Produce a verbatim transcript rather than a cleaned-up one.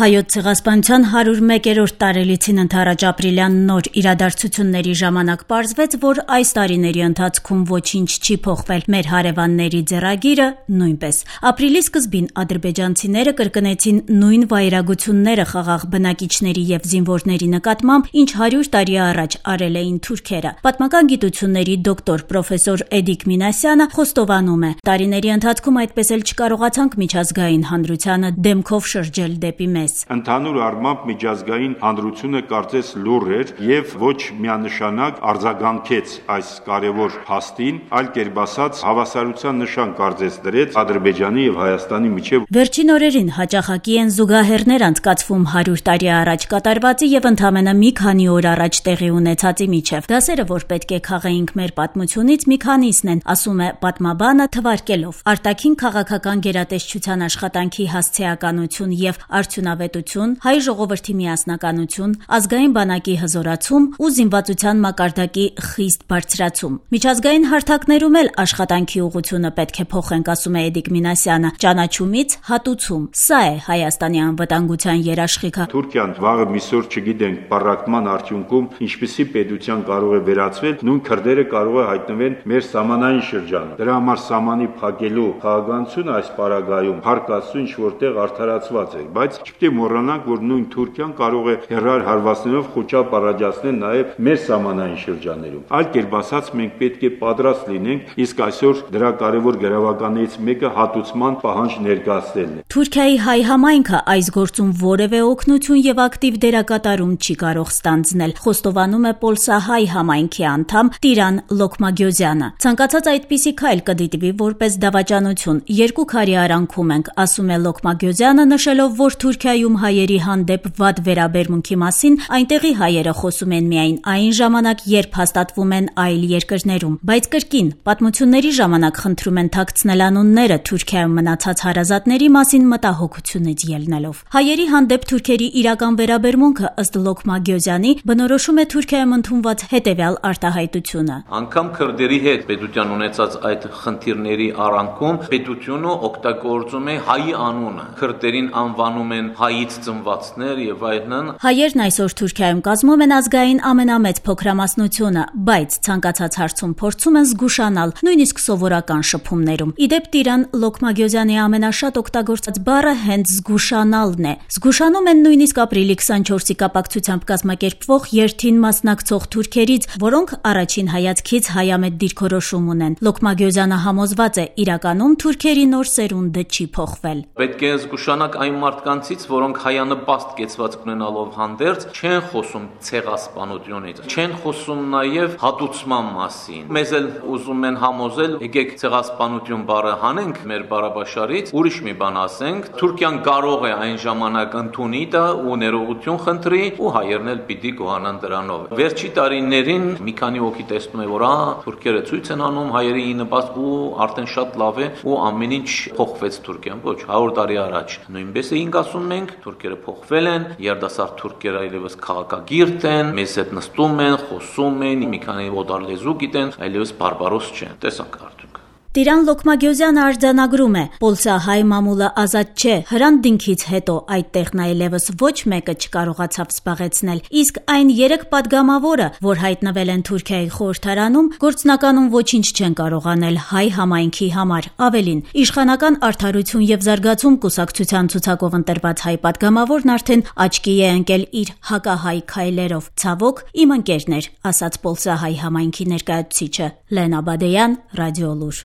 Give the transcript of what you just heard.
Հայոց ցեղասպանության հարյուր մեկերորդ տարելիցին ընթരാճ ապրիլյան նոր իրադարձությունների ժամանակ պարզվեց, որ այս տարիների ընթացքում ոչինչ չի փոխվել, մեր հարևանների ձեռագիրը նույնպես։ Ապրիլի սկզբին ադրբեջանցիները կրկնեցին նույն վայրագությունները խաղաղ բնակիչների եւ զինվորների նկատմամբ, ինչ հարյուր տարի առաջ արել էին թուրքերը։ Պատմական գիտությունների դոկտոր պրոֆեսոր Էդիկ Մինասյանը խոստովանում է. տարիների ընթացքում այդպես էլ չկարողացանք միջազգային հանրությանը դեմքով շրջել դեպի մեզ։ Ընդհանուր առմամբ միջազգային հանրությունը կարծես լուռ էր եւ ոչ միանշանակ արձագանքեց այս կարևոր փաստին, այլ կերպ ասած հավասարության նշան կարծես դրեց Ադրբեջանի եւ Հայաստանի միջեւ։ Վերջին օրերին հաճախակի են զուգահեռներ անցկացվում հարյուր տարի առաջ կատարվածի եւ ընդամենը մի քանի օր առաջ տեղի ունեցածի միջեւ։ Դասերը, որ պետք է քաղեինք մեր պատմությունից, մի քանիսն են, ասում է պատմաբանը թվարկելով. արտաքին քաղաքական գերատեսչության աշխատանքի հասցեականություն եւ արդյունավետություն, հայ ժողովրդի միասնականություն, ազգային բանակի հզորացում ու զինվածության մակարդակի խիստ բարձրացում։ Միջազգային հարթակներում էլ աշխատանքի ուղղությունը պետք է փոխենք, ասում է Էդիկ Մինասյանը, ճանաչումից հատուցում։ Սա է Հայաստանի անվտանգության երաշխիքը։ Թուրքիան վաղը միսօր չգիտենք պառակտման արդյունքում ինչպիսի պետության կարող է վերածվել, նույն քրդերը կարող է հայտնվել մեր սահմանային շրջանում։ Դրա համար սահմանի փակելու քաղաքականությունը այս պարագայում հարկացու ինչ որտեղ արդարացված է, բայց չպետք է մոռանանք, որ նույն Թուրքիան կարող է հեռար հարվածներով խոչապ առաջացնել նաև մեր սահմանային շրջաններում։ Այլ կերպ ասած, մենք պետք է պատրաստ լինենք, իսկ այսօր դրա կարևոր գրավականներից մեկը հատուցման պահանջ ներկայացնելն է։ Թուրքիայի հայ համայնքը այս գործում որևէ օգնություն եւ ակտիվ դերակատարում չի կարող ստանձնել, խոստովանում է Պոլսահայ համայնքի անդամ Տիրան Լոքմագյոզյանը։ Ցանկացած այդպիսի քայլ կդիտվի որպես դավաճանություն։ Երկու քարի արանքում ենք, ասում է Լոքմագյոզյանը, նշելով, որ Թուրքիայում հայերի հանդեպ վատ վերաբերմունքի մասին այնտեղի հայերը խոսում են միայն այն ժամանակ, երբ հաստատվում են այլ երկրներում, բայց կրկին պատմությունների ժամանակ խնդրում են թաքցնել անունները Թուրքիայում մնացած հարազատների մասին մտահոգությունից ելնելով։ Հայերի հանդեպ թուրքերի իրական վերաբերմունքը ըստ Լոքմագյոզյանի բնորոշում է Թուրքիայում ընդունված հետևյալ արտահայտությունը. Անկամ քրդերի հետ պետության ունեցած այդ խնդիրների արանքում պետությունը օգտագործում է հայի անունը, քրդերին անվանում են հայից ծնվածներ եւ այլն։ Հայերն այսօր Թուրքիայում կազմում են ազգային ամենամեծ փոքրամասնությունը, բայց ցանկացած հարցում փորձում են զգուշանալ, նույնիսկ սովորական շփումներում։ Իդեպ Տիրան Լոքմագյոզյանի ամենաշատ օգտագործած բառը հենց զգուշանալն է։ Զգուշանում են նույնիսկ ապրիլի քսանչորսի կապակցությամբ կազմակերպվող երթին մասնակցող թուրքերից, որոնք առաջին հայացքից հայամետ դիրքորոշում ունեն։ Լոքմագյոզյանը համոզված է, իրականում թուրքերի նոր սերունդը չի փոխվել։ Պետք է զգուշանալ այն մարդկանցից, որոնք հայանպաստ կեցվածք ունենալով հանդերձ չեն խոսում ցեղասպանությունից, չեն խոսում նաև հատուցման մասին։ Մեզ էլ ուզում են համոզել, եկեք ցեղասպանություն բառը հանենք մեր բառաբաշարից, ուրիշ մի բան ասենք, Թուրքիան կարող է այն ժամանակ ընդունի դա ու ներողություն խնդրի ու հայերն էլ պիտի գոհանան դրանով։ Վերջի տարիներին մի քանի հոգի տեսնում է, որ ահա թուրքերը ցույց են անում հայերի նպաստ ու արդեն շատ լավ է ու ամեն ինչ փոխվեց Թուրքիան։ Ոչ, հարյուր տարի առաջ նույնպես էինք ասում մենք, թուրքերը փոխվել են, երդասարդ թուրքերը այլևս քաղաքագիրտ են, մեզ հետ նստում են, խոսում են, մի քանի օտար լեզու գիտեն, այլևս բարբարոս չեն։ Տեսանք արդյոք։ Տիրան Լոքմագյոզյանը արձանագրում է. Պոլսահայ մամուլը ազատ չէ, հրանտինքից հետո այդտեղն այլևս ոչ մեկը չկարողացավ զբաղեցնել, իսկ այն երեք падգամավորը, որ հայտնվել են Թուրքիայի խորհրդարանում, գործնականում ոչինչ չեն կարող անել հայ համայնքի համար։ Ավելին, իշխանական արդարություն եւ զարգացում կուսակցության ցուցակով ընտրված հայ падգամավորն արդեն աչքի է ընկել իր հակահայ քայլերով։ Ցավոք, իմ ընկերն էր, ասաց Պոլսահայ համայնքի ներկայացուցիչը։ Լենա Բադեյան, Ռադիոլուր։